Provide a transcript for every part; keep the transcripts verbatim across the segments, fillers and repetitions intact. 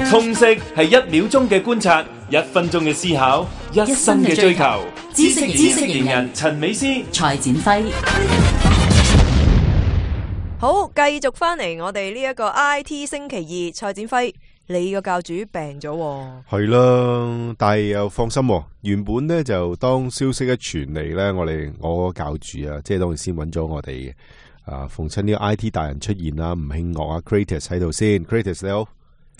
通識係一秒鐘嘅觀察，一分鐘嘅思考，一生嘅追求。知識知識型人陳美詩、蔡展輝。好，繼續翻嚟我哋呢一個 I T 星期二，蔡展輝，你個教主病咗喎。係啦，但係又放心喎，原本咧就當消息一傳嚟咧，我哋我個教主啊，即係當然先揾咗我哋嘅啊，逢親呢個 I T 大人出現啦，吳慶岳啊 Kratos 喺度先 ，Kratos 你好。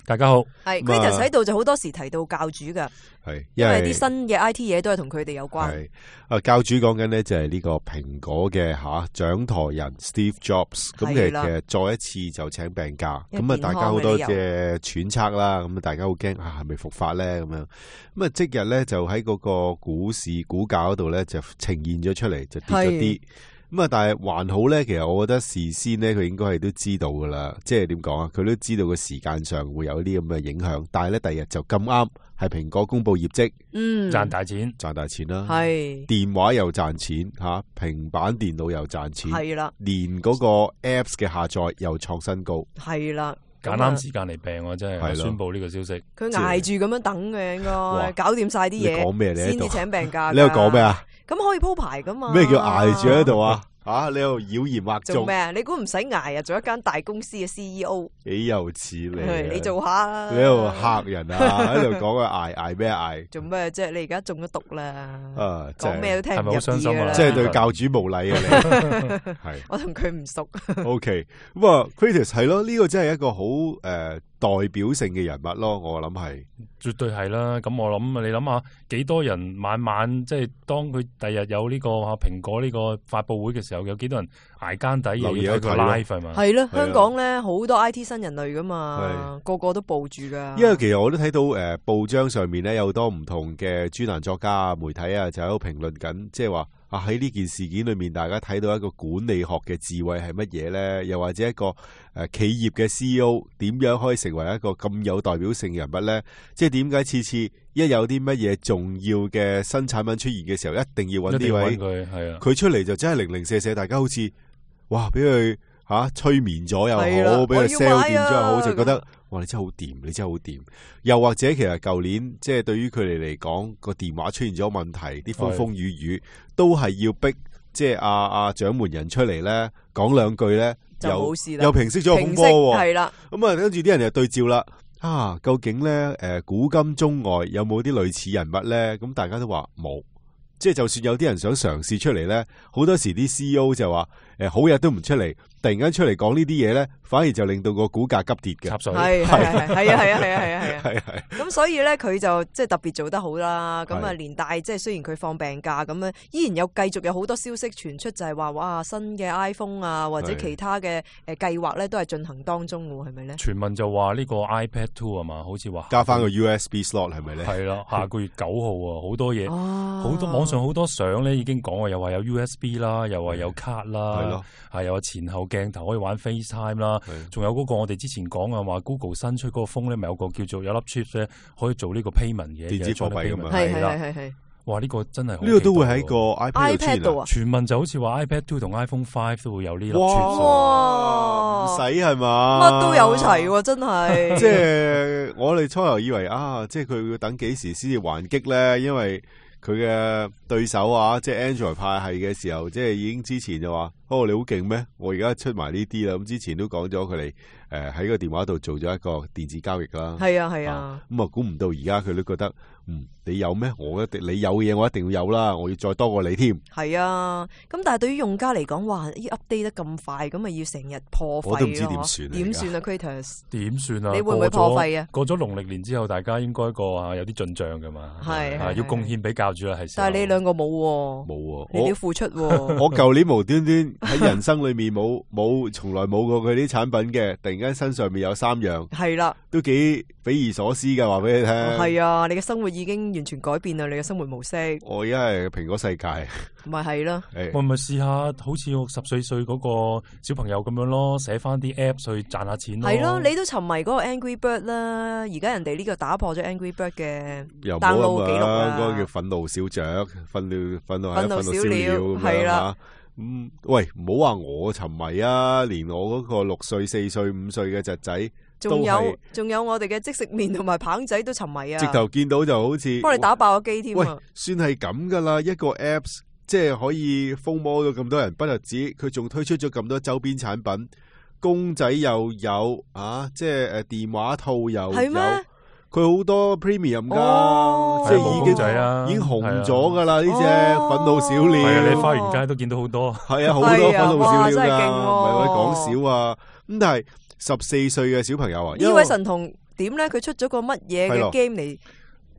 大家好，係 Kratos 喺度就好多時提到教主噶，係因為啲新嘅 I T 嘢都係同佢哋有關。係啊，教主講緊呢就係呢個蘋果嘅吓掌舵人 Steve Jobs， 咁其實再一次就請病假，咁啊大家好多嘅揣測啦，咁啊大家好驚啊係咪復發咧咁樣，咁啊即日咧就喺嗰個股市股價嗰度咧就呈現咗出嚟，就跌咗啲。咁啊，但係還好咧。其實我覺得事先咧，佢應該係都知道噶啦。即係點講啊？佢都知道個時間上會有啲咁嘅影響。但係咧，第日就咁啱係蘋果公布業績，嗯，賺大錢，賺大錢啦。係電話又賺錢吓，平板電腦又賺錢，係啦。連嗰個 Apps 嘅下載又創新高，係啦。揀啱時間嚟病我真係宣布呢個消息。佢捱住咁樣等嘅，應該搞掂晒啲嘢。你講咩？你喺度先至請病假。你喺度講咩啊？咁可以鋪排噶嘛？咩叫捱住喺度啊？啊！你喺度妖言惑眾做咩啊？你估唔使捱啊？做一間大公司嘅 C E O，幾有似你、啊？你做下啦。你喺度嚇人啊！喺度講啊捱捱咩捱？做咩啫？你而家中咗毒啦！啊，講咩都聽唔入耳㗎啦。係咪好傷心啊？即係對教主無禮啊！你係我同佢唔熟。O K， 咁啊 Kratos 係咯，呢、這個真係一個好誒、呃、代表性嘅人物咯。我諗係絕對係啦。咁我諗你諗下，幾多人晚晚即係當佢第日有呢個蘋果呢個發佈會嘅時候，有幾多人捱更抵留意睇個 live 係嘛？係咯，香港咧好多 I T 新人類噶嘛，個個都報住噶。因為其實我都睇到誒、呃、報章上面咧有好多唔同嘅專欄作家啊、媒體啊，就喺度評論緊，即係話啊喺呢件事件裏面，大家睇到一個管理學嘅智慧係乜嘢咧？又或者一個誒、呃、企業嘅 C E O 點樣可以成為一個咁有代表性嘅人物咧？即係點解次次一有啲乜嘢重要嘅新產品出現嘅時候，一定要揾呢位佢係啊？佢出嚟就真係零零舍舍，大家好似哇俾佢吓催眠咗又好，俾佢 sell 掂咗又好，就覺得哇你真係好掂，你真係好掂。又或者其實舊年即係對於佢哋嚟講個電話出現咗問題，啲風風雨雨都係要逼即係阿阿掌門人出嚟咧講兩句咧，就冇事啦，又平息咗個風波。係啦，咁啊跟住啲人就對照啦。啊，究竟咧誒古今中外有冇啲類似人物咧？咁大家都話冇。即係就算有啲人想嘗試出嚟咧，好多時啲 C E O 就話誒好日都唔出嚟，突然間出嚟講呢啲嘢咧，反而就令到個股價急跌嘅。係係係係啊係啊係啊係啊係係。咁所以咧佢就即係特別做得好啦。咁啊連帶即係雖然佢放病假咁樣，依然有繼續有好多消息傳出，就係話哇新嘅 iPhone 啊或者其他嘅誒計劃咧都係進行當中嘅，係咪咧？傳聞就話呢個 iPad Two 啊嘛，好似話加翻個 U S B slot 係咪咧？係啦，下個月九號啊，好多嘢，好、哦、多網上好多相咧已經講話，又話有 U S B 啦，又話有卡啦，係咯，係又有前後鏡頭可以玩 FaceTime 啦，仲有嗰個我哋之前講啊話 Google 新出嗰個 phone 咧，咪有個叫做有粒 chip 咧，可以做呢個 payment 嘅電子貨幣咁樣，係係係係。哇！呢、這個真係呢、這個都會喺個 iPad 度啊！傳聞就好似話 iPad Two 同 iPhone Five 都會有呢粒 chip。哇！唔使係嘛？乜都有齊喎，真係。即係我哋初頭以為啊，即係佢要等幾時先至還擊咧？因為佢嘅對手啊，即係 Android 派系嘅時候，即係已經之前就話：哦，你好勁咩？我而家出埋呢啲啦。咁之前都講咗佢哋誒喺個電話度做咗一個電子交易啦。係啊係啊。咁啊，估唔到而家佢都覺得。嗯，你有咩？我一定你有嘅嘢，我一定要有啦！我要再多過你添。係啊，咁但係對於用家嚟講，哇，要 update 得咁快，咁咪要成日破費咯。我都唔知點算。點算啊 Kratos？ 點算啊？你會唔會破費啊？過咗農曆年之後，大家應該個啊有啲進賬噶嘛？係係要貢獻俾教主啦，係。但係你兩個冇喎，冇喎，你要付出喎。我舊年無端端喺人生裏面冇冇從來冇過佢啲產品嘅，突然間身上面有三樣，係啦，都幾匪夷所思嘅，話俾你聽。係啊，你嘅生活已經完全改變啦，你嘅生活模式。我而家係蘋果世界，咪係咯。我咪試下好似我十歲歲嗰個小朋友咁樣咯，寫翻啲 app 去賺下錢咯。係咯，你都沉迷嗰個 Angry Bird 啦，而家人哋呢個打破咗 Angry Bird 嘅 download 記錄啦。嗰個叫憤怒小雀，憤怒憤怒係憤怒小鳥，係啦。嗯，喂，唔好話我沉迷啊，連我嗰個六歲、四歲、五歲嘅侄仔，仲有仲有我哋嘅即食麵同埋棒仔都沉迷啊！直頭見到就好似幫你打爆個機添啊！喂，算係咁噶啦，一個 apps 即係可以瘋魔到咁多人，不特止，佢仲推出咗咁多周邊產品，公仔又有啊，即係誒電話套又有。佢好多 premium 噶，哦、即係已經仔啊，已經紅咗噶啦呢隻憤怒小鳥。係啊，你花園街都見到好多。係啊，好多憤怒小鳥噶，唔係我講少啊。咁但係十四歲嘅小朋友啊，呢位神童點咧？佢出咗個乜嘢嘅 game 嚟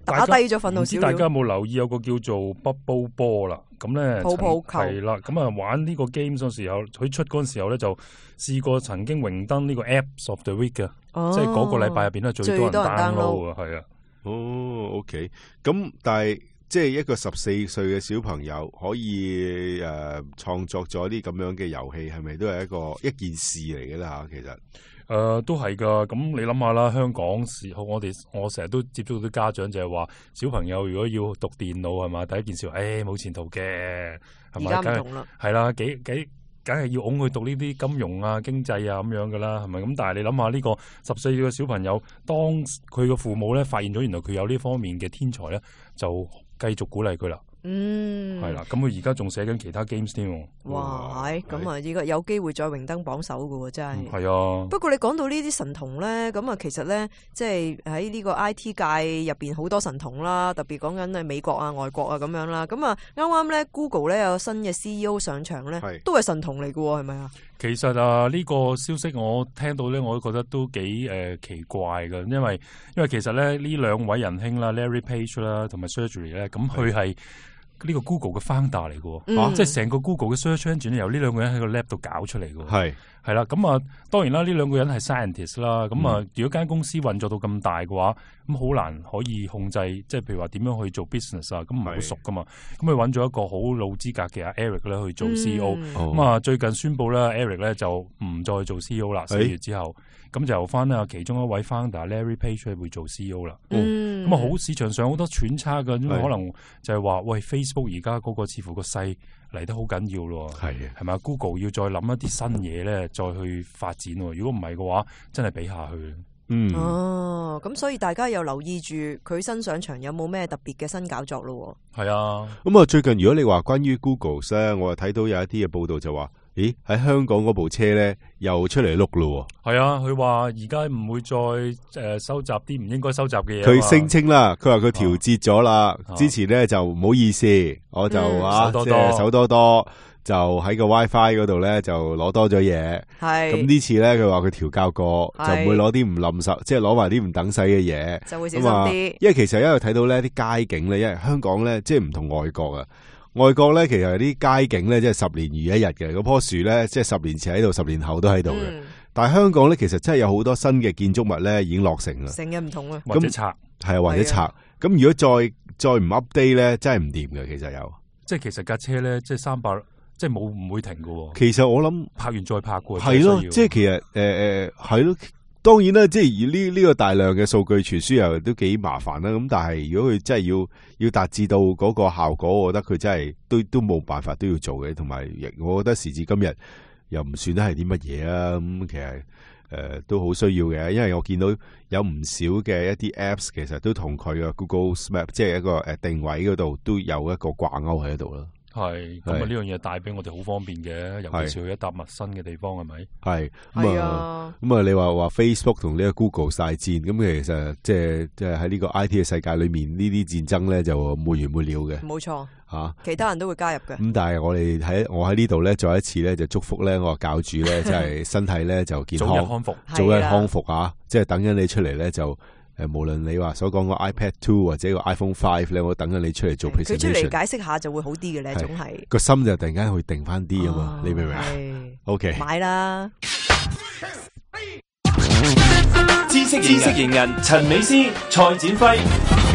打低咗憤怒小鳥？大家有冇留意有個叫做 Bubble Ball 啦？咁咧泡泡球係啦，咁啊玩呢個 game 嗰時候，佢出嗰陣時候咧就試過曾經榮登呢個 Apps of the Week 嘅。哦、即係嗰個禮拜入邊咧最多人 download 啊，係啊。哦 ，OK，咁但係即係一個十四歲嘅小朋友可以誒創、呃、作咗啲咁樣嘅遊戲，係咪都係一個一件事嚟嘅啦？吓，其實誒、呃、都係噶。咁你諗下啦，香港時候我哋我成日都接觸到啲家長就係話，小朋友如果要讀電腦係嘛，第一件事誒冇前途嘅，係咪？而家唔同啦，係啦，幾幾。梗係要拱佢讀呢啲金融啊、經濟啊咁樣噶啦，係咪咁？但係你諗下呢個十四歲嘅小朋友，當佢嘅父母咧發現咗原來佢有呢方面嘅天才咧，就繼續鼓勵佢啦。嗯，係啦，咁佢而家仲寫緊其他 games 添。哇，咁啊，依個有機會再榮登榜首噶喎，真係。係、嗯、啊。不過你講到呢啲神童咧，咁啊，其實咧，即係喺呢個 I T 界入邊好多神童啦，特別講緊係美國啊、外國啊咁樣啦。咁啊，啱啱咧 Google 咧有新嘅 C E O 上場咧，都係神童嚟噶喎，係咪啊？其實啊，呢、這個消息我聽到咧，我都覺得都幾誒、呃、奇怪嘅，因為因為其實咧呢兩位仁兄啦 ，Larry Page 啦，同埋 Sergey 咧，咁佢係呢個 Google 嘅 founder 嚟嘅，嗯、即係成個 Google 嘅 search engine 由呢兩個人喺個 lab 度搞出嚟嘅。係係啦，咁啊，當然啦，呢兩個人係 scientist 啦，咁啊，如果間公司運作到咁大嘅話，咁好難可以控制，即係譬如話點樣去做 business 啊，咁唔係好熟噶嘛。咁佢揾咗一個好老資格嘅阿 Eric 咧去做 C E O，咁、嗯、啊、哦、最近宣布咧 Eric 咧就唔再做 C E O 啦，四月之後，咁就由翻啊其中一位 founder Larry Page 會做 C E O 啦。咁啊好市場上好多揣測嘅，因為可能就係話喂 Facebook 而家嗰個似乎個勢嚟得好緊要咯，係係咪 Google 要再諗一啲新嘢咧，再去發展。如果唔係嘅話，真係比下去。嗯，哦，咁所以大家又留意住佢新上場有冇咩特別嘅新搞作咯。係啊，咁啊，最近如果你話關於 Google 咧，我又睇到有一啲嘅報道就話，咦喺香港嗰部車咧又出嚟碌咯。係啊，佢話而家唔會再誒、呃、收集啲唔應該收集嘅嘢。佢聲稱啦，佢話佢調節咗啦。啊、之前咧就唔好意思，我就啊即係手多多。就喺個 WiFi 嗰度咧，就攞多咗嘢。係咁呢次咧，佢話佢調校過，就唔會攞啲唔冧手，即係攞埋啲唔等使嘅嘢，就會小心啲。因為其實因為睇到咧啲街景咧，因為香港咧即係唔同外國啊。外國咧其實啲街景咧即係十年如一日嘅，嗰棵樹咧即係十年前喺度，十年後都喺度嘅。嗯、但係香港咧其實真係有好多新嘅建築物咧已經落成啦。成日唔同啊，或者拆係啊，或者拆。咁如果再再唔 update 咧，真係唔掂嘅。其實有，即係其實架車咧，即係三百。即係冇唔會停喎。其實我諗拍完再拍嘅。係咯，即係其實誒誒係咯。當然啦，即係而呢呢個大量嘅數據傳輸又都幾麻煩啦。咁但係如果佢真係要要達至到嗰個效果，我覺得佢真係都都冇辦法都要做嘅。同埋，我覺得時至今日又唔算得係啲乜嘢啊。咁其實誒、呃、都好需要嘅，因為我見到有唔少嘅一啲 Apps 其實都同佢嘅 Google Map 即係一個誒定位嗰度都有一個掛鈎喺度啦。係咁啊！呢樣嘢帶俾我哋好方便嘅，尤其是去一笪陌生嘅地方，係咪？係咁啊！咁啊！你話話 Facebook 同呢個 Google 晒戰，咁其實即係即係喺呢個 I T 嘅世界裏面，呢啲戰爭咧就沒完沒了嘅。冇錯吓，啊、其他人都會加入嘅。咁但係我哋喺我喺呢度咧，再一次咧就祝福咧我教主咧，即係身體咧就健康，早日康復，早日康復啊！即係等緊你出嚟咧就。誒，無論你話所講個 iPad Two 或者個 iPhone Five 咧，我等緊你出嚟做 presentation，佢出嚟解釋下就會好啲嘅咧，總係個心就突然間會定翻啲啊嘛，你明唔明啊 ？OK，買啦。知識知識型人陳美詩、蔡展輝。